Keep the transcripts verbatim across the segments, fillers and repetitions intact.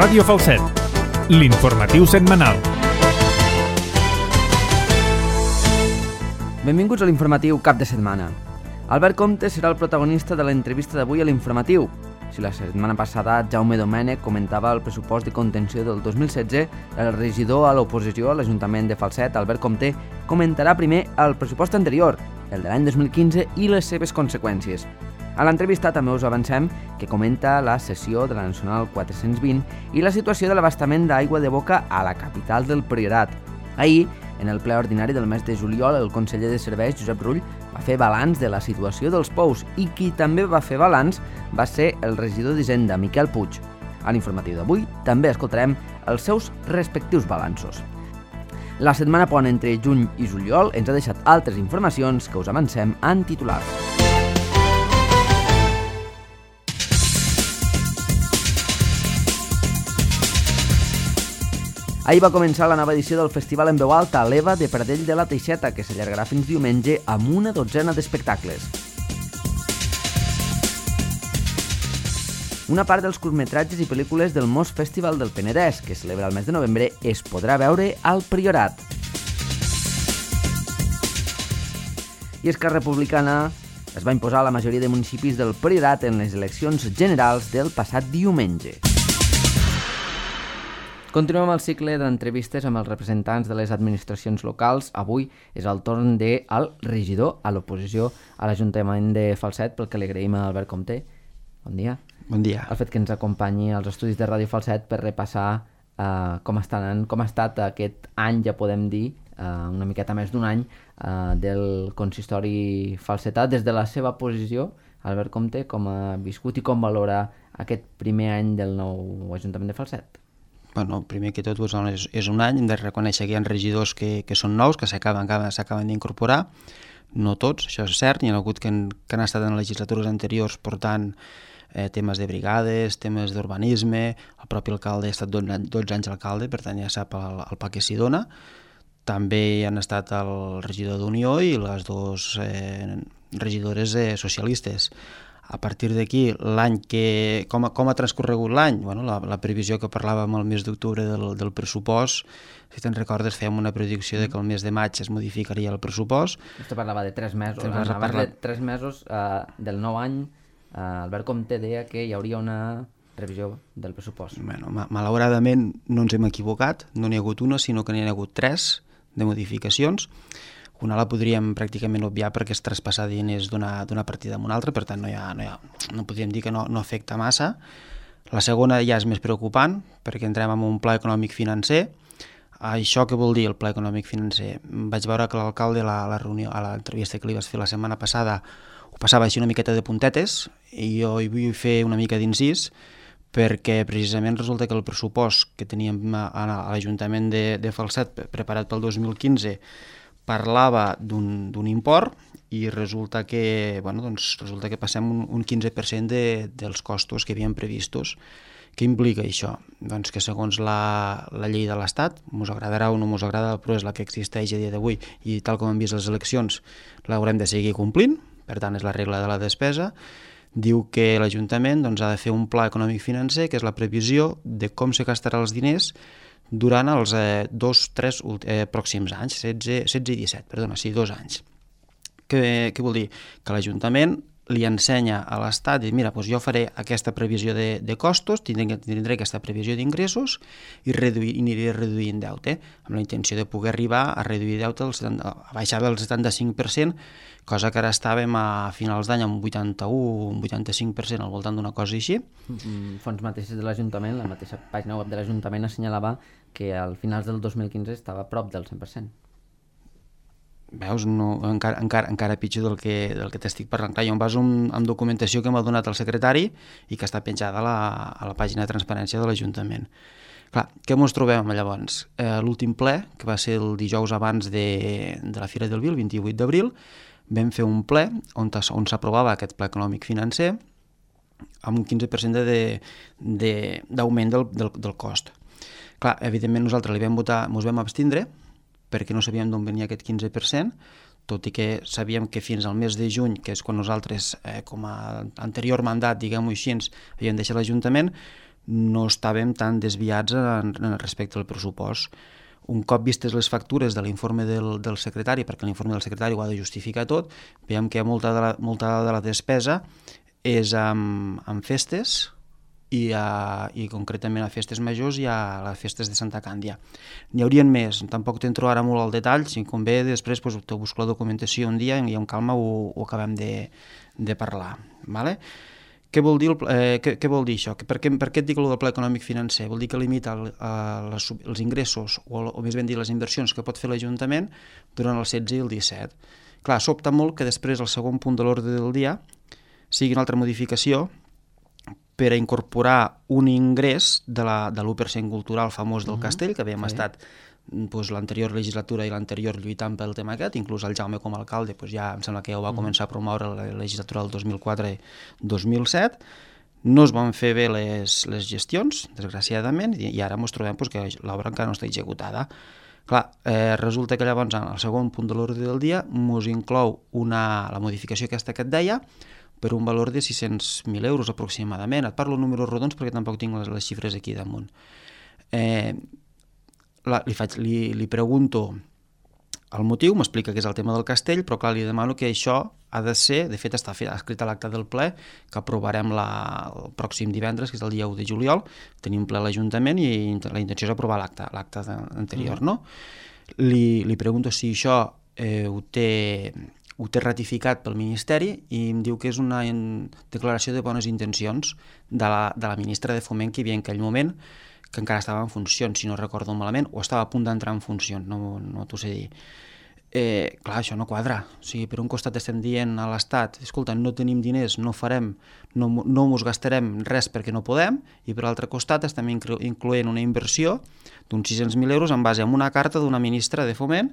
Ràdio Falset, l'informatiu setmanal. Benvinguts a l'informatiu cap de setmana. Albert Comte serà el protagonista de l'entrevista d'avui a l'informatiu. Si la setmana passada Jaume Domènech comentava el pressupost de contenció del dos mil setze, el regidor a l'oposició a l'Ajuntament de Falset, Albert Comte, comentarà primer el pressupost anterior, el de l'any dos mil quinze, i les seves conseqüències. A l'entrevista també us avancem que comenta la sessió de la Nacional quatre-cents vint i la situació de l'abastament d'aigua de boca a la capital del Priorat. Ahir, en el ple ordinari del mes de juliol, el conseller de Serveis, Josep Rull, va fer balanç de la situació dels pous i qui també va fer balanç va ser el regidor d'Hisenda, Miquel Puig. A l'informatiu d'avui també escoltarem els seus respectius balanços. La setmana pont entre juny i juliol ens ha deixat altres informacions que us avancem en titulars. Ahir va començar la nova edició del Festival en veu alta a l'Eva de Pradell de la Teixeta, que s'allargarà fins diumenge amb una dotzena d'espectacles. Una part dels curtmetratges i pel·lícules del Mos Festival del Penedès, que celebra el mes de novembre, es podrà veure al Priorat. I Esquerra Republicana es va imposar a la majoria de municipis del Priorat en les eleccions generals del passat diumenge. Continuem amb el cicle d'entrevistes amb els representants de les administracions locals. Avui és el torn del regidor a l'oposició a l'Ajuntament de Falset, pel que li agraïm a Albert Comte. Bon dia. Bon dia. El fet que ens acompanyi als estudis de Ràdio Falset per repassar uh, com, estan, com ha estat aquest any, ja podem dir, uh, una miqueta més d'un any, uh, del consistori falsetà. Des de la seva posició, Albert Comte, com ha viscut i com valora aquest primer any del nou Ajuntament de Falset? Bueno, primer que tot és, és un any, hem de reconèixer que hi ha regidors que, que són nous, que s'acaben s'acaben d'incorporar, no tots, això és cert, hi ha hagut que, han, que han estat en legislatures anteriors portant eh, temes de brigades, temes d'urbanisme, el propi alcalde ha estat dotze anys alcalde, per tant ja sap el, el pa que s'hi dona. També hi han estat el regidor d'Unió i les dues eh, regidores eh, socialistes. A partir d'aquí, l'any que... Com, com ha transcorregut l'any? Bueno, la, la previsió que parlàvem el mes d'octubre del, del pressupost, si te'n recordes, fèiem una predicció de que el mes de maig es modificaria el pressupost. Vostè parlava de tres mesos. Abans parlar... de tres mesos uh, del nou any, uh, Albert Comte deia que hi hauria una revisió del pressupost. Bueno, ma malauradament no ens hem equivocat, no n'hi ha hagut una, sinó que n'hi ha hagut tres de modificacions. Una la podríem pràcticament obviar perquè és traspassar diners d'una partida a una altra, per tant no, hi ha, no, hi ha, no podríem dir que no, no afecta massa. La segona ja és més preocupant perquè entrem en un pla econòmic financer. Això què vol dir el pla econòmic financer? Vaig veure que l'alcalde a la, la reunió, a l'entrevista que li vas fer la setmana passada ho passava així una miqueta de puntetes i jo hi vull fer una mica d'incís perquè precisament resulta que el pressupost que teníem a, a l'Ajuntament de, de Falset preparat pel dos mil quinze parlava d'un import i resulta que, bueno, doncs resulta que passem un, un quinze per cent de, dels costos que havíem previstos. Què implica això? Doncs que segons la, la llei de l'Estat, mos agradarà o no mos agrada, però és la que existeix a dia d'avui i tal com hem vist les eleccions l'haurem de seguir complint, per tant és la regla de la despesa, diu que l'Ajuntament doncs, ha de fer un pla econòmic financer, que és la previsió de com se gastarà els diners durant els eh, dos, tres eh, pròxims anys, setze, setze i disset, perdona, sí, dos anys. Què, què vol dir? Que l'Ajuntament li ensenya a l'Estat, i mira, doncs jo faré aquesta previsió de, de costos, tindré, tindré aquesta previsió d'ingressos i, reduir, i aniré reduint deute, amb la intenció de poder arribar a reduir deute, al setanta, a baixar del setanta-cinc per cent, cosa que ara estàvem a finals d'any amb un vuitanta-u, un vuitanta-cinc per cent al voltant d'una cosa així. Fons mateixes de l'Ajuntament, la mateixa pàgina web de l'Ajuntament assenyalava que al finals del dos mil quinze estava a prop del cent per cent. Veus, no, encara, encara, encara pitjor del que, del que t'estic parlant. Clar, jo em baso amb, amb documentació que m'ha donat el secretari i que està penjada a la, a la pàgina de transparència de l'Ajuntament. Clar, què ens trobem llavors? Eh, L'últim ple, que va ser el dijous abans de, de la Fira del Vi, el vint-i-vuit d'abril, vam fer un ple on, on s'aprovava aquest pla econòmic financer amb un quinze per cent d'augment de, de, del, del, del cost. Clar, evidentment nosaltres li vam votar, ens vam abstindre, perquè no sabíem d'on venia aquest quinze per cent, tot i que sabíem que fins al mes de juny, que és quan nosaltres, eh, com a anterior mandat, diguem-ho així, havíem deixat l'Ajuntament, no estàvem tan desviats en, en respecte al pressupost. Un cop vistes les factures de l'informe del, del secretari, perquè l'informe del secretari ho ha de justificar tot, veiem que molta de la, molta de la despesa és amb, amb festes i, a, i concretament a festes majors i a les festes de Santa Càndia. N'hi haurien més, tampoc t'entro ara molt al detall, si convé després doncs, te busco la documentació un dia i amb calma ho, ho acabem de, de parlar. Vale? Què vol dir, el, eh, què, què vol dir això? Per què, per què et dic el del pla econòmic financer? Vol dir que limita el, les, els ingressos, o, o més ben dir les inversions que pot fer l'Ajuntament durant el setze i el disset. Clar, sobta molt que després el segon punt de l'ordre del dia sigui una altra modificació per a incorporar un ingrés de l'u per cent cultural famós del uh-huh. Castell, que havíem sí. estat doncs, l'anterior legislatura i l'anterior lluitant pel tema aquest, inclús el Jaume com a alcalde doncs ja em sembla que ja ho va començar a promoure la legislatura del dos mil quatre dos mil set. No es van fer bé les, les gestions, desgraciadament, i, i ara ens trobem doncs, que l'obra encara no està executada. Clar, eh, resulta que llavors en el segon punt de l'ordre del dia ens inclou una, la modificació aquesta que et deia per un valor de sis-cents mil euros aproximadament. Et parlo números rodons perquè tampoc tinc les, les xifres aquí damunt. Eh, La, li, faig, li, li pregunto el motiu, m'explica que és el tema del castell, però clar, li demano que això ha de ser, de fet està fet, escrit a l'acte del ple, que aprovarem la, el pròxim divendres, que és el dia u de juliol, tenim ple a l'Ajuntament i la intenció és aprovar l'acte, l'acte anterior, mm. no? Li, li pregunto si això eh, ho, té, ho té ratificat pel Ministeri i em diu que és una declaració de bones intencions de la, de la ministra de Foment que hi havia en aquell moment, que encara estava en funcions, si no recordo malament, o estava a punt d'entrar en funcions, no, no t'ho sé dir. Eh, clar, això no quadra. O sigui, per un costat estem dient a l'Estat, escolta, no tenim diners, no farem, no, no mos gastarem res perquè no podem, i per l'altre costat estem inclo incloent una inversió d'uns sis-cents mil euros en base a una carta d'una ministra de Foment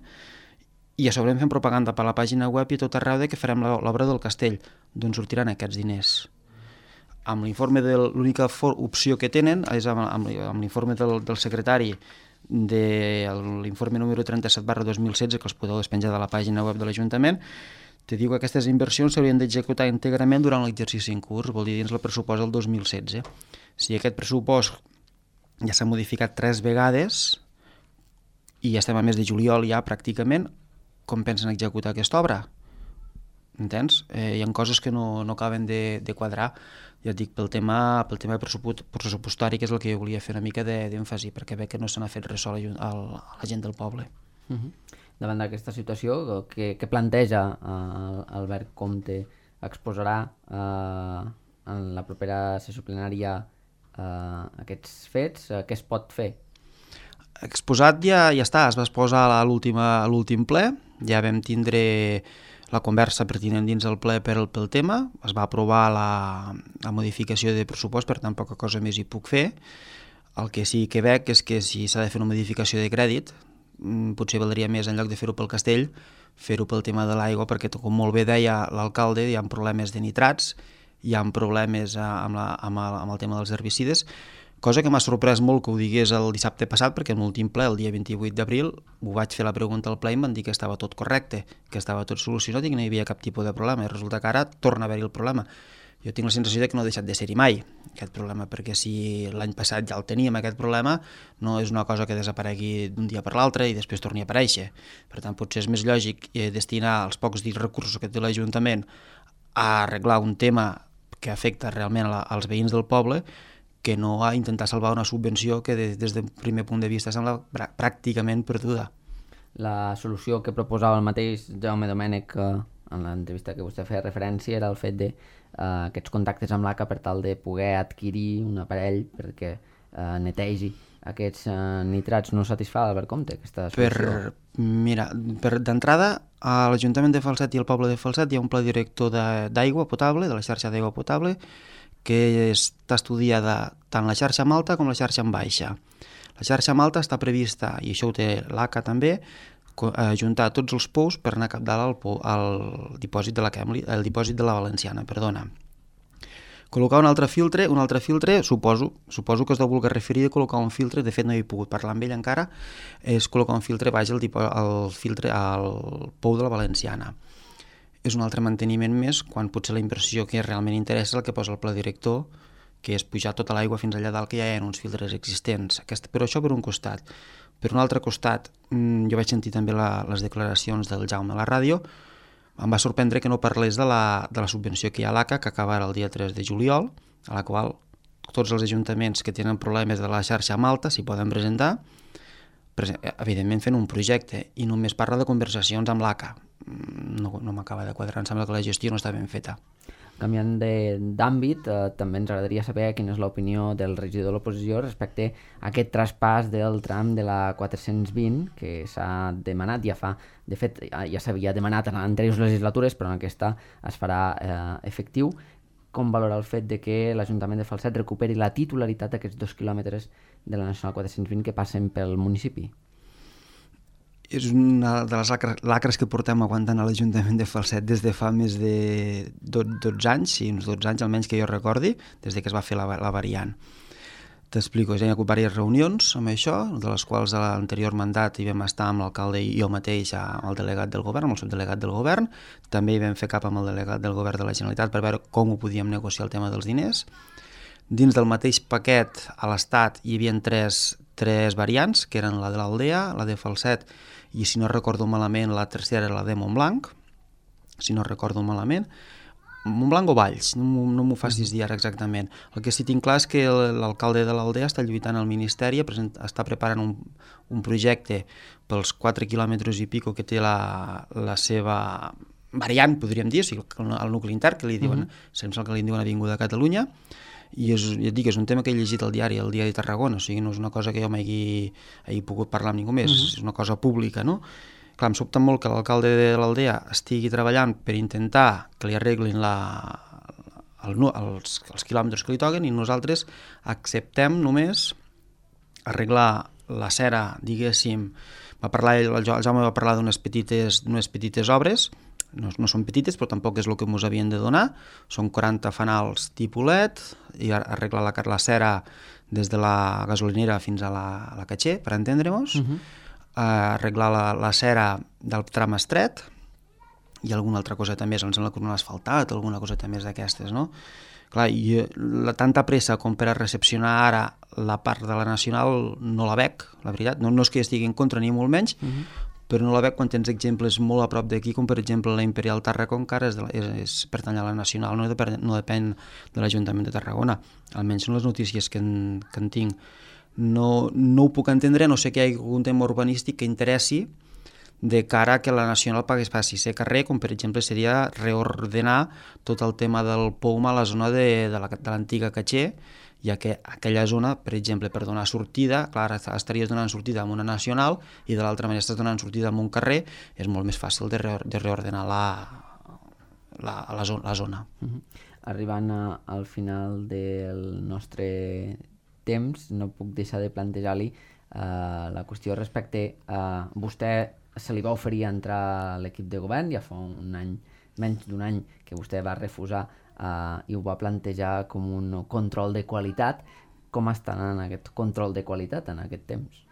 i a sobre fem propaganda per la pàgina web i tot arreu de que farem l'obra del castell. D'on sortiran aquests diners? Amb l'informe de l'única opció que tenen és amb, amb, amb l'informe del, del secretari de l'informe número trenta-set barra dos mil setze, que els podeu despenjar de la pàgina web de l'Ajuntament, te diu que aquestes inversions s'haurien d'executar íntegrament durant l'exercici en curs, vol dir dins el pressupost del dos mil setze. Si aquest pressupost ja s'ha modificat tres vegades i ja estem a mes de juliol ja pràcticament, com pensen executar aquesta obra? Entens? Eh, hi ha coses que no, no acaben de, de quadrar, ja et dic, pel tema, pel tema pressupostari, que és el que jo volia fer una mica d'èmfasi, perquè veig que no se n'ha fet res a la, a la gent del poble. Uh-huh. Davant d'aquesta situació, què, què planteja uh, Albert Comte? Exposarà uh, en la propera sessió plenària uh, aquests fets? Uh, què es pot fer? Exposat ja, ja està, es va exposar a l'últim ple, ja vam tindre la conversa pertinent dins el ple per pel tema, es va aprovar la, la modificació de pressupost, per tant poca cosa més hi puc fer. El que sí que veig és que si s'ha de fer una modificació de crèdit, potser valdria més, en lloc de fer-ho pel castell, fer-ho pel tema de l'aigua, perquè com molt bé deia l'alcalde, hi ha problemes de nitrats, hi ha problemes amb, la, amb, el, amb el tema dels herbicides, cosa que m'ha sorprès molt que ho digués el dissabte passat, perquè en l'últim ple, el dia vint-i-vuit d'abril, ho vaig fer la pregunta al ple i em van dir que estava tot correcte, que estava tot solucionat i que no hi havia cap tipus de problema. I resulta que ara torna a haver-hi el problema. Jo tinc la sensació de que no ha deixat de ser-hi mai, aquest problema, perquè si l'any passat ja el teníem, aquest problema, no és una cosa que desaparegui d'un dia per l'altre i després torni a aparèixer. Per tant, potser és més lògic destinar els pocs recursos que té l'Ajuntament a arreglar un tema que afecta realment als veïns del poble, que no a intentar salvar una subvenció que des, des del primer punt de vista sembla pràcticament perduda. La solució que proposava el mateix Jaume Domènech eh, en l'entrevista que vostè feia referència era el fet de eh, aquests contactes amb l'A C A per tal de poder adquirir un aparell perquè eh, netegi aquests eh, nitrats. No satisfà Albert Comte aquesta solució? Per, mira, per, d'entrada a l'Ajuntament de Falset i al poble de Falset hi ha un pla director d'aigua potable, de la xarxa d'aigua potable, que està estudiada tant la xarxa en alta com la xarxa en baixa. La xarxa en alta està prevista, i això ho té l'A C A també, ajuntar tots els pous per anar a capdalt al, pou, al dipòsit de la Kemli, el dipòsit de la Valenciana, perdona. Col·locar un altre filtre, un altre filtre, suposo, suposo que es deu voler referir a col·locar un filtre, de fet no he pogut parlar amb ell encara, és col·locar un filtre baix al, al, filtre, al pou de la Valenciana. És un altre manteniment més quan potser la inversió que realment interessa és el que posa el pla director que és pujar tota l'aigua fins allà dalt, que ja hi ha uns filtres existents. Aquest, però això per un costat. Per un altre costat, jo vaig sentir també la, les declaracions del Jaume a la ràdio. Em va sorprendre que no parlés de la, de la subvenció que hi ha a l'A C A, que acaba el dia tres de juliol, a la qual tots els ajuntaments que tenen problemes de la xarxa Malta s'hi poden presentar, evidentment fent un projecte, i només parla de conversacions amb l'A C A. No, no m'acaba de quadrar, em sembla que la gestió no està ben feta. Canviant d'àmbit, eh, també ens agradaria saber quina és l'opinió del regidor de l'oposició respecte a aquest traspàs del tram de la quatre-cents vint que s'ha demanat, ja fa, de fet ja s'havia demanat en anteriors legislatures, però en aquesta es farà eh, efectiu. Com valora el fet de que l'Ajuntament de Falset recuperi la titularitat d'aquests dos quilòmetres de la Nacional quatre-cents vint que passen pel municipi? És una de les lacres que portem aguantant a l'Ajuntament de Falset des de fa més de dotze anys, sí, uns dotze anys almenys que jo recordi, des de que es va fer la, la variant. T'explico, ja hi ha hagut diverses reunions amb això, de les quals a l'anterior mandat hi vam estar amb l'alcalde i jo mateix amb el delegat del govern, amb el subdelegat del govern, també hi vam fer cap amb el delegat del govern de la Generalitat per veure com ho podíem negociar el tema dels diners. Dins del mateix paquet a l'Estat hi havia tres, tres variants, que eren la de l'Aldea, la de Falset i, si no recordo malament, la tercera era la de Montblanc, si no recordo malament, Montblanc o Valls, no, no m'ho facis dir ara exactament. El que sí tinc clar és que l'alcalde de l'Aldea està lluitant al Ministeri, està preparant un, un projecte pels quatre quilòmetres i pico que té la, la seva variant, podríem dir, o sigui, el nucli intern, que li diuen, uh-huh. Sembla que li diuen Avinguda de Catalunya, i és, ja et dic, és un tema que he llegit al diari, el Diari de Tarragona, o sigui, no és una cosa que jo m'hagi pogut parlar amb ningú més, uh-huh. És una cosa pública, no? Clar, em sobta molt que l'alcalde de l'Aldea estigui treballant per intentar que li arreglin la, el, els, els quilòmetres que li toquen i nosaltres acceptem només arreglar la cera, diguéssim, va parlar, el Jaume va parlar d'unes petites, d'unes petites obres, no, no són petites, però tampoc és el que ens havien de donar, són quaranta fanals tipolet, i arreglar la, la cera des de la gasolinera fins a la, a la Caché, per entendre-nos, uh-huh. uh, arreglar la, la cera del tram estret, i alguna altra cosa també, em sembla que no l'ha asfaltat, alguna cosa també d'aquestes, no? Clar, i la tanta pressa com per a recepcionar ara la part de la Nacional no la veig, la veritat, no, no és que estigui en contra ni molt menys, uh-huh. però no la veig quan tens exemples molt a prop d'aquí, com per exemple la Imperial Tàrraco encara és, de la, és, és pertany a la Nacional, no, depèn, no depèn de l'Ajuntament de Tarragona, almenys són les notícies que en, que en tinc. No, no ho puc entendre, no sé que hi hagi algun tema urbanístic que interessi de cara que la Nacional pagués passi ser carrer, com per exemple seria reordenar tot el tema del P O U M a la zona de, de l'antiga Caché, ja que aquella zona, per exemple, per donar sortida, clar, estaries donant sortida a una Nacional i de l'altra manera estàs donant sortida a un carrer, és molt més fàcil de, re, de reordenar la, la, la, zona, la zona. Uh-huh. Arribant a, al final del nostre temps, no puc deixar de plantejar-li uh, la qüestió respecte a vostè se li va oferir entrar a l'equip de govern, ja fa un any, menys d'un any que vostè va refusar uh, i ho va plantejar com un control de qualitat. Com estan en aquest control de qualitat en aquest temps?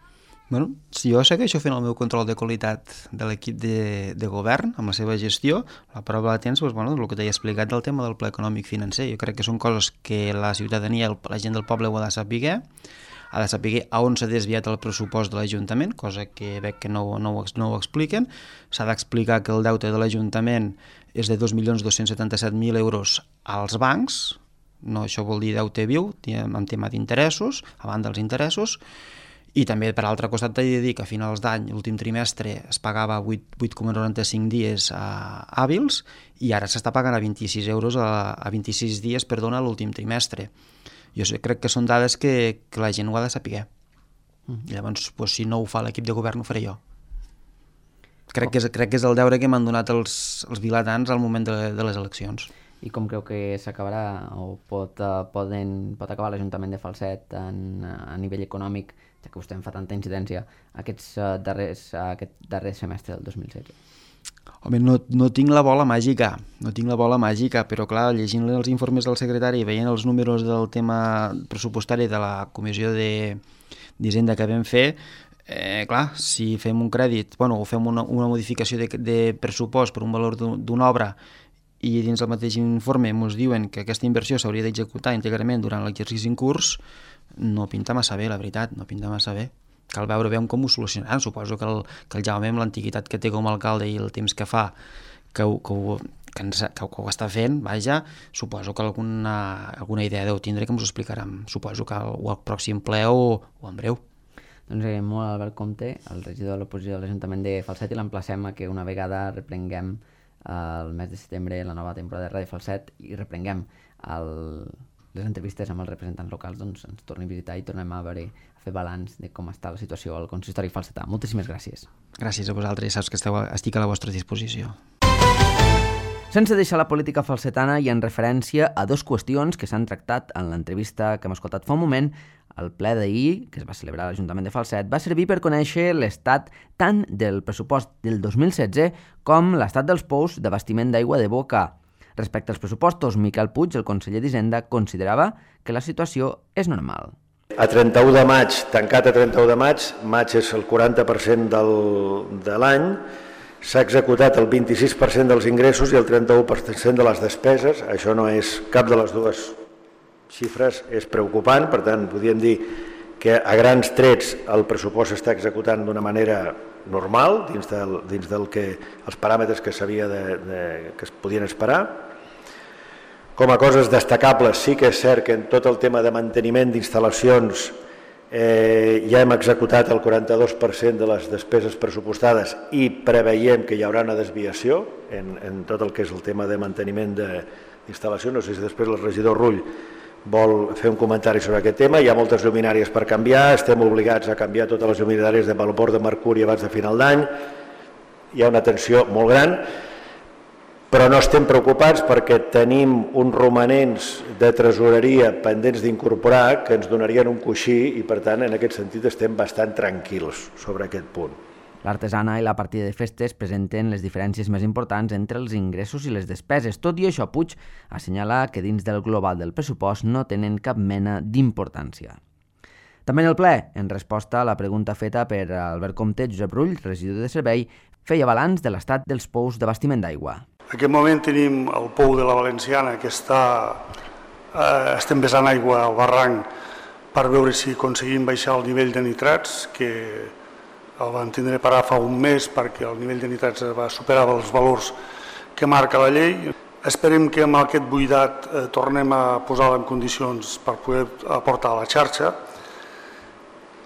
Bueno, si jo segueixo fent el meu control de qualitat de l'equip de, de govern, amb la seva gestió, la prova la tens, doncs, bueno, el que t'he explicat del tema del pla econòmic financer. Jo crec que són coses que la ciutadania, la gent del poble ho ha de saber, ha de saber a on s'ha desviat el pressupost de l'Ajuntament, cosa que veig que no, no, no ho expliquen. S'ha d'explicar que el deute de l'Ajuntament és de dos milions dos-cents setanta-set mil euros als bancs, no, això vol dir deute viu, en tema d'interessos, a banda dels interessos, i també, per altre costat, t'he de dir que a finals d'any, l'últim trimestre, es pagava vuit coma noranta-cinc dies a hàbils i ara s'està pagant a vint-i-sis euros a, a vint-i-sis dies, perdona, l'últim trimestre. Jo crec que són dades que, que la gent ho ha de saber. Mm. Llavors, doncs, si no ho fa l'equip de govern, ho faré jo. Crec, oh. que és, crec que és el deure que m'han donat els, els vilatans al moment de, de les eleccions. I com creu que s'acabarà o pot, uh, poden, pot acabar l'Ajuntament de Falset en, a nivell econòmic, ja que vostè en fa tanta incidència, aquests, uh, darrers, uh, aquest darrer semestre del dos mil setze? Home, no, no tinc la bola màgica, no tinc la bola màgica, però clar, llegint els informes del secretari i veient els números del tema pressupostari de la comissió d'Hisenda que vam fer, eh, clar, si fem un crèdit, bueno, o fem una, una modificació de, de pressupost per un valor d'una obra i dins del mateix informe ens diuen que aquesta inversió s'hauria d'executar íntegrament durant l'exercici en curs, no pinta massa bé, la veritat, no pinta massa bé. Cal veure bé com ho solucionaran. Suposo que el, que el Jaume, amb l'antiguitat que té com a alcalde i el temps que fa, que ho, que ho, que ens, que ho està fent, vaja, suposo que alguna, alguna idea deu tindre que ens ho explicaran, suposo que al, o al pròxim ple o, o en breu. Doncs agraïm molt a Albert Comte, el regidor de l'oposició de l'Ajuntament de Falset, i l'emplacem a que una vegada reprenguem el mes de setembre la nova temporada de Ràdio Falset i reprenguem el, les entrevistes amb els representants locals, doncs ens torni a visitar i tornem a veure, a fer balanç de com està la situació al consistori falsetà. Moltíssimes gràcies. Gràcies a vosaltres, saps que esteu, estic a la vostra disposició. Sense deixar la política falsetana i en referència a dues qüestions que s'han tractat en l'entrevista que hem escoltat fa un moment, el ple d'ahir, que es va celebrar a l'Ajuntament de Falset, va servir per conèixer l'estat tant del pressupost del dos mil setze com l'estat dels pous d'abastiment d'aigua de boca. Respecte als pressupostos, Miquel Puig, el conseller d'Hisenda, considerava que la situació és normal. A trenta-u de maig, tancat a trenta-u de maig, maig és el quaranta per cent del, de l'any, s'ha executat el vint-i-sis per cent dels ingressos i el trenta-u per cent de les despeses. Això no és cap de les dues xifres, és preocupant, per tant, podríem dir que a grans trets el pressupost s'està executant d'una manera normal, dins del, dins del que, els paràmetres que s'havia de, de, que es podien esperar. Com a coses destacables, sí que és cert que en tot el tema de manteniment d'instal·lacions eh, ja hem executat el quaranta-dos per cent de les despeses pressupostades i preveiem que hi haurà una desviació en, en tot el que és el tema de manteniment d'instal·lació. No sé si després el regidor Rull vol fer un comentari sobre aquest tema. Hi ha moltes lluminàries per canviar, estem obligats a canviar totes les lluminàries de valor de mercuri abans de final d'any, hi ha una tensió molt gran, però no estem preocupats perquè tenim uns romanents de tresoreria pendents d'incorporar que ens donarien un coixí i, per tant, en aquest sentit estem bastant tranquils sobre aquest punt. L'artesana i la partida de festes presenten les diferències més importants entre els ingressos i les despeses. Tot i això, Puig assenyala que dins del global del pressupost no tenen cap mena d'importància. També en el ple, en resposta a la pregunta feta per Albert Comte, Josep Rull, regidor de servei, feia balanç de l'estat dels pous d'abastiment d'aigua. En aquest moment tenim el pou de la Valenciana que està, eh, estem vessant aigua al barranc per veure si aconseguim baixar el nivell de nitrats, que el vam tindre parar fa un mes perquè el nivell de nitrats va superar els valors que marca la llei. Esperem que amb aquest buidat eh, tornem a posar-la en condicions per poder aportar a la xarxa.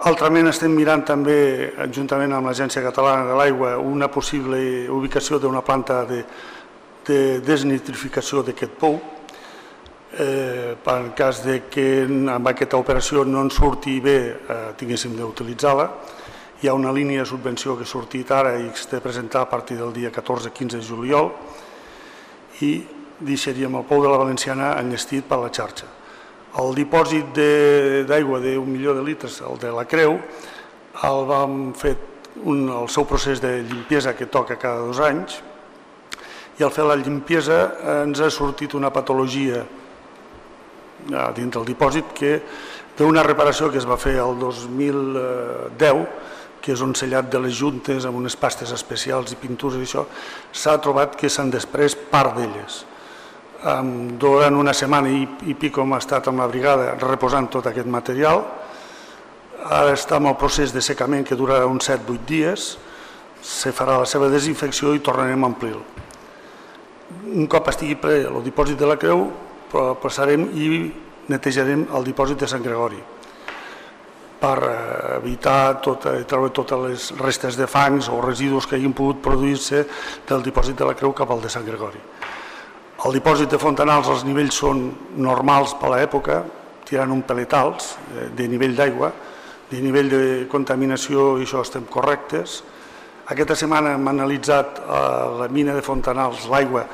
Altrament estem mirant també, juntament amb l'Agència Catalana de l'Aigua, una possible ubicació d'una planta de, de desnitrificació d'aquest pou. Eh, per en cas de que amb aquesta operació no ens surti bé, eh, tinguéssim d'utilitzar-la. Hi ha una línia de subvenció que ha sortit ara i que s'ha de presentar a partir del dia catorze quinze de juliol i deixaríem el pou de la Valenciana enllestit per la xarxa. El dipòsit d'aigua d'un milió de litres, el de la Creu, el vam fer un, el seu procés de limpiesa que toca cada dos anys i al fer la limpiesa ens ha sortit una patologia dins del dipòsit que d'una reparació que es va fer el dos mil deu, que és un sellat de les juntes amb unes pastes especials i pintures i això, s'ha trobat que s'han després part d'elles. Durant una setmana i, i pico hem estat amb la brigada reposant tot aquest material. Ara està en el procés de secament que durarà uns set vuit dies, se farà la seva desinfecció i tornarem a omplir-lo. Un cop estigui ple el dipòsit de la Creu, passarem i netejarem el dipòsit de Sant Gregori per evitar tot, treure totes les restes de fangs o residus que hagin pogut produir-se del dipòsit de la Creu cap al de Sant Gregori. El dipòsit de Fontanals, els nivells són normals per l'època, tirant un pelet alts de nivell d'aigua, de nivell de contaminació i això estem correctes. Aquesta setmana hem analitzat a la mina de Fontanals l'aigua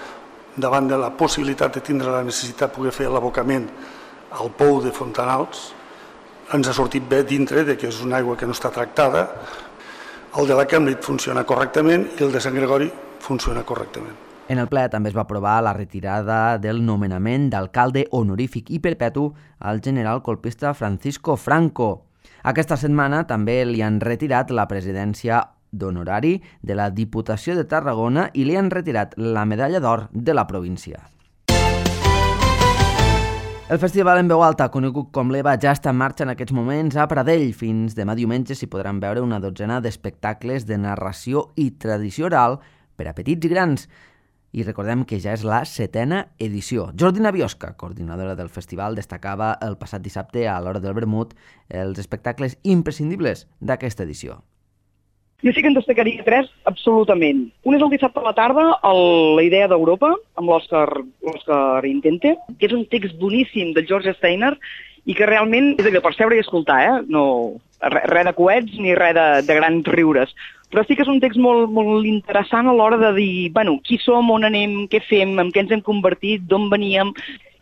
davant de la possibilitat de tindre la necessitat de poder fer l'abocament al pou de Fontanals. Ens ha sortit bé dintre de que és una aigua que no està tractada. El de la Cambridge funciona correctament i el de Sant Gregori funciona correctament. En el ple també es va aprovar la retirada del nomenament d'alcalde honorífic i perpetu al general colpista Francisco Franco. Aquesta setmana també li han retirat la presidència d'honorari de la Diputació de Tarragona i li han retirat la medalla d'or de la província. El festival en veu alta, conegut com l'Eva, ja està en marxa en aquests moments a Pradell. Fins demà diumenge s'hi podran veure una dotzena d'espectacles de narració i tradició oral per a petits i grans. I recordem que ja és la setena edició. Jordina Biosca, coordinadora del festival, destacava el passat dissabte a l'hora del vermut els espectacles imprescindibles d'aquesta edició. Jo sí que en destacaria tres, absolutament. Un és el dissabte a la tarda, el, la idea d'Europa, amb l'Òscar Intente, que és un text boníssim del George Steiner i que realment és allò per seure i escoltar, eh? No, res re de coets ni res de, de grans riures. Però sí que és un text molt, molt interessant a l'hora de dir, bueno, qui som, on anem, què fem, en què ens hem convertit, d'on veníem.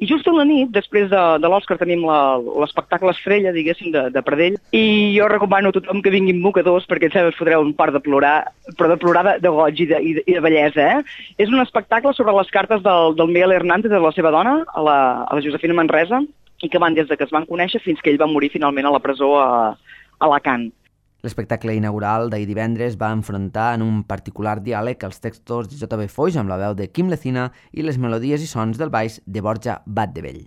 I just a la nit, després de, de l'Òscar, tenim l'espectacle estrella, diguéssim, de, de Pradell, i jo recomano a tothom que vinguin mocadors perquè ens fotreu un part de plorar, però de plorar de, de goig i de, i de, i de bellesa, eh? És un espectacle sobre les cartes del, del Miguel Hernández, de la seva dona, a la, a la Josefina Manresa, i que van des de que es van conèixer fins que ell va morir finalment a la presó a, a Alacant. L'espectacle inaugural d'ahir divendres va enfrontar en un particular diàleg els textos de J B Foix amb la veu de Quim Lecina i les melodies i sons del baix de Borja Batdevell.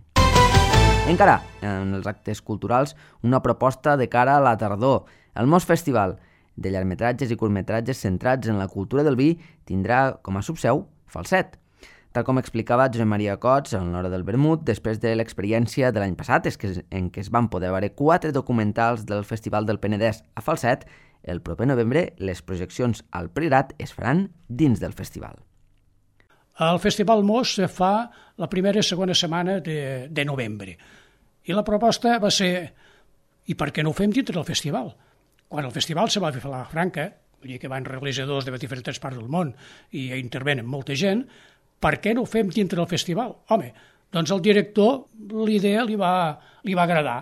Encara, en els actes culturals, una proposta de cara a la tardor. El Mos Festival, de llargmetratges i curtmetratges centrats en la cultura del vi, tindrà com a subseu Falset. Tal com explicava Josep Maria Cots en l'hora del vermut, després de l'experiència de l'any passat en què es van poder veure quatre documentals del Festival del Penedès a Falset, el proper novembre les projeccions al Priorat es faran dins del festival. El Festival Mos se fa la primera i segona setmana de, de novembre. I la proposta va ser, i per què no ho fem dintre del festival? Quan el festival se va fer a la Franca, vull dir que van realitzadors de diferents parts del món i intervenen molta gent, per què no ho fem dintre del festival? Home, doncs al director l'idea li va, li va agradar.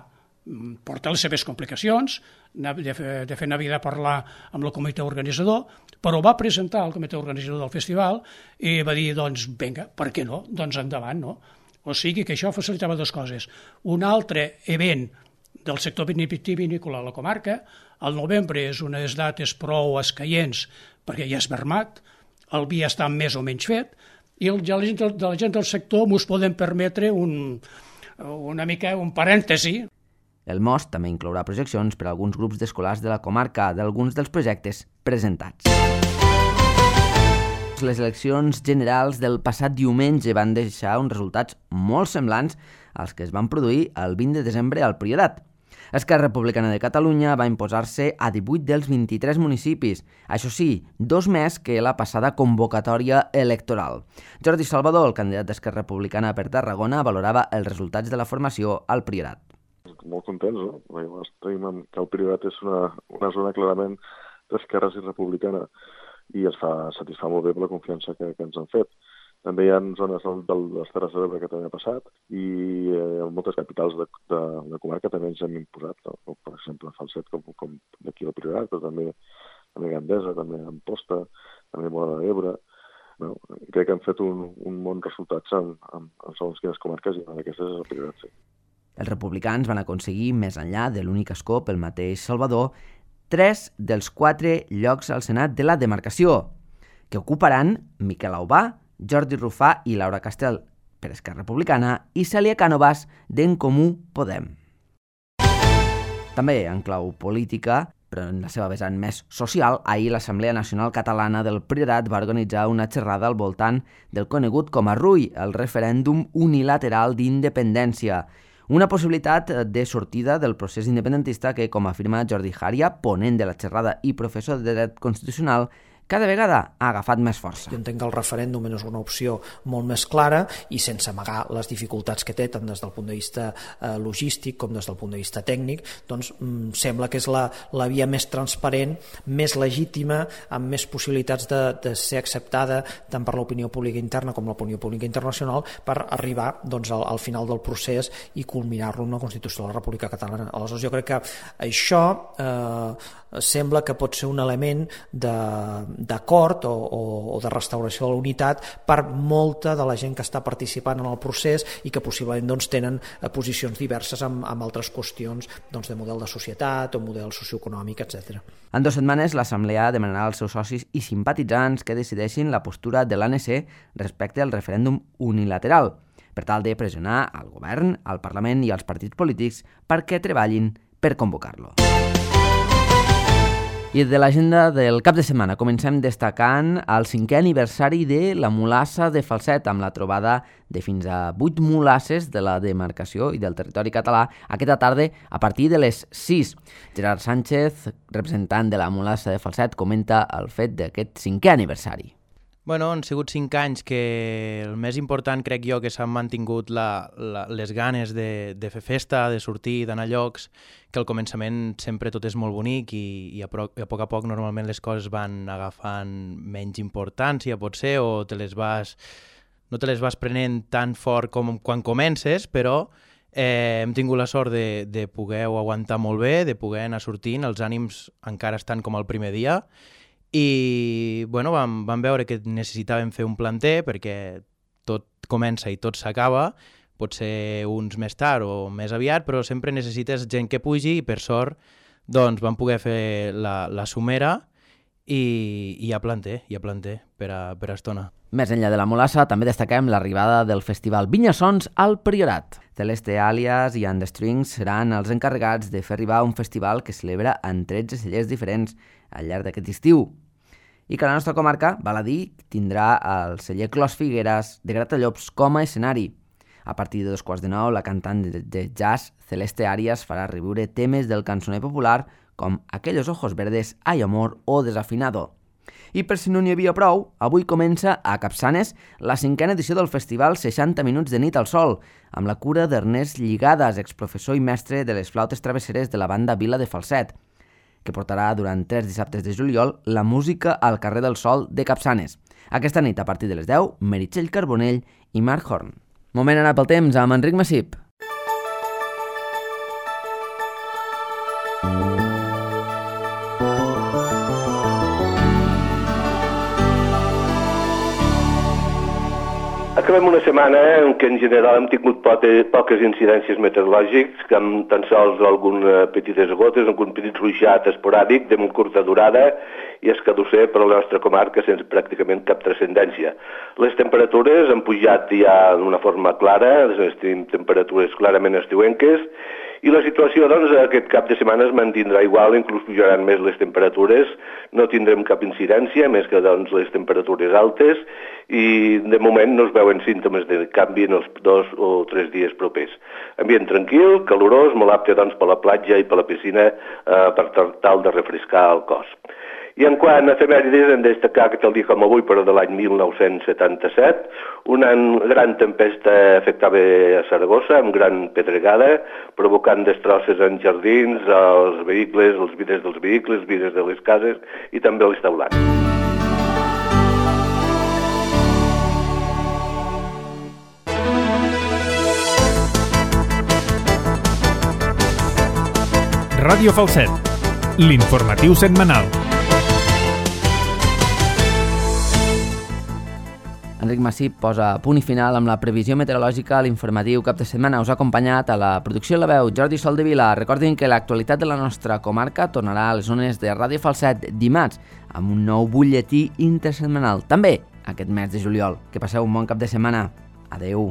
Porta les seves complicacions, de fer, de fer anar a parlar amb el comitè organitzador, però va presentar al comitè organitzador del festival i va dir, doncs, vinga, per què no? Doncs endavant, no? O sigui que això facilitava dues coses. Un altre event del sector vitivinícola a la comarca, al novembre és unes dates prou escaients perquè ja és vermat, el vi està més o menys fet, i el, ja la gent, de la gent del sector mos podem permetre un, una mica un parèntesi. El Mos també inclourà projeccions per a alguns grups d'escolars de la comarca d'alguns dels projectes presentats. Les eleccions generals del passat diumenge van deixar uns resultats molt semblants als que es van produir el vint de desembre al Priorat. Esquerra Republicana de Catalunya va imposar-se a divuit dels vint-i-tres municipis, això sí, dos més que la passada convocatòria electoral. Jordi Salvador, el candidat d'Esquerra Republicana per Tarragona, valorava els resultats de la formació al Priorat. Molt contents, no? Tenim que el Priorat és una, una zona clarament d'esquerres i republicana i ens fa satisfà molt bé per la confiança que, que ens han fet. També hi ha zones del, de les Terres de l'Ebre que també ha passat i eh, moltes capitals de, de, de comarca també ens hem imposat, no? Per exemple, Falset, com, com d'aquí al Priorat, però també, també Gandesa, també Amposta, també Móra d'Ebre. No, crec que han fet un, un bon resultats en, en, en segons quines comarques i una d'aquestes és el Priorat, sí. Els republicans van aconseguir, més enllà de l'únic escó pel mateix Salvador, tres dels quatre llocs al Senat de la demarcació, que ocuparan Miquel Aubà, Jordi Rufà i Laura Castel per Esquerra Republicana i Cèlia Cànovas d'En Comú Podem. També en clau política, però en la seva vessant més social, ahir l'Assemblea Nacional Catalana del Priorat va organitzar una xerrada al voltant del conegut com a R U I, el referèndum unilateral d'independència, una possibilitat de sortida del procés independentista que, com afirma Jordi Jària, ponent de la xerrada i professor de dret constitucional, cada vegada ha agafat més força. Jo entenc que el referèndum és una opció molt més clara i sense amagar les dificultats que té tant des del punt de vista eh, logístic com des del punt de vista tècnic, doncs mm, sembla que és la, la via més transparent, més legítima, amb més possibilitats de, de ser acceptada tant per l'opinió pública interna com l'opinió pública internacional per arribar doncs, al, al final del procés i culminar-lo en una Constitució de la República Catalana. Aleshores jo crec que això eh, sembla que pot ser un element de d'acord o, o, o de restauració de la unitat per molta de la gent que està participant en el procés i que possiblement doncs, tenen posicions diverses amb, amb altres qüestions doncs, de model de societat o model socioeconòmic, etcètera. En dues setmanes, l'Assemblea demanarà als seus socis i simpatitzants que decideixin la postura de l'A N C respecte al referèndum unilateral, per tal de pressionar al govern, al Parlament i als partits polítics perquè treballin per convocar-lo. I de l'agenda del cap de setmana comencem destacant el cinquè aniversari de la mulassa de Falset, amb la trobada de fins a vuit mulasses de la demarcació i del territori català aquesta tarda a partir de les sis. Gerard Sánchez, representant de la mulassa de Falset, comenta el fet d'aquest cinquè aniversari. Bueno, han sigut cinc anys que el més important crec jo que s'han mantingut la, la, les ganes de, de fer festa, de sortir, d'anar a llocs, que al començament sempre tot és molt bonic i, i a, pro, a poc a poc normalment les coses van agafant menys importància, potser, o te les vas, no te les vas prenent tan fort com quan comences, però eh, hem tingut la sort de, de poder aguantar molt bé, de poder anar sortint, els ànims encara estan com el primer dia, i bueno, vam, vam veure que necessitàvem fer un planter perquè tot comença i tot s'acaba, pot ser uns més tard o més aviat, però sempre necessites gent que pugi i per sort doncs, vam poder fer la, la somera i, i hi ha planter, hi ha planter per a, per a estona. Més enllà de la mulassa, també destaquem l'arribada del festival Vinyasons al Priorat. Celeste Alias i And The Strings seran els encarregats de fer arribar un festival que celebra en tretze cellers diferents al llarg d'aquest estiu. I que la nostra comarca, val a dir, tindrà el celler Clos Figueres de Gratallops com a escenari. A partir de dos quarts de nou, la cantant de jazz Celeste Arias farà reviure temes del cançoner popular com Aquellos ojos verdes, Ay amor o Desafinado. I per si no n'hi havia prou, avui comença a Capçanes la cinquena edició del festival seixanta minuts de nit al sol, amb la cura d'Ernest Lligades, exprofessor i mestre de les flautes travesseres de la banda Vila de Falset, que portarà durant tres dissabtes de juliol la música al carrer del Sol de Capçanes. Aquesta nit, a partir de les deu, Meritxell Carbonell i Marc Horn. Moment anar pel temps amb Enric Massip. Acabem una setmana en què en general hem tingut poques incidències meteorològics, que amb tan sols algunes petites gotes, algun petit ruixat esporàdic de molt curta durada i escadusser per a la nostra comarca sense pràcticament cap transcendència. Les temperatures han pujat ja d'una forma clara, tenim temperatures clarament estiuenques, i la situació, doncs, aquest cap de setmana es mantindrà igual, inclús pujaran més les temperatures, no tindrem cap incidència, més que doncs, les temperatures altes, i de moment no es veuen símptomes de canvi en els dos o tres dies propers. Ambient tranquil, calorós, molt apte doncs, per la platja i per la piscina eh, per tal de refrescar el cos. I en quant a efemèrides, hem de destacar que tal dia com avui, però de l'any mil nou-cents setanta-set, una gran tempesta afectava a Saragossa, amb gran pedregada, provocant destrosses en jardins, als vehicles, els vidres dels vehicles, els vidres de les cases i també els teulats. Ràdio Falset, l'informatiu setmanal. Enric Massip posa punt i final amb la previsió meteorològica a l'informatiu cap de setmana. Us ha acompanyat a la producció La Veu Jordi Soldevila. Recordin que l'actualitat de la nostra comarca tornarà a les zones de Ràdio Falset dimarts amb un nou butlletí intersetmanal, també aquest mes de juliol. Que passeu un bon cap de setmana. Adeu.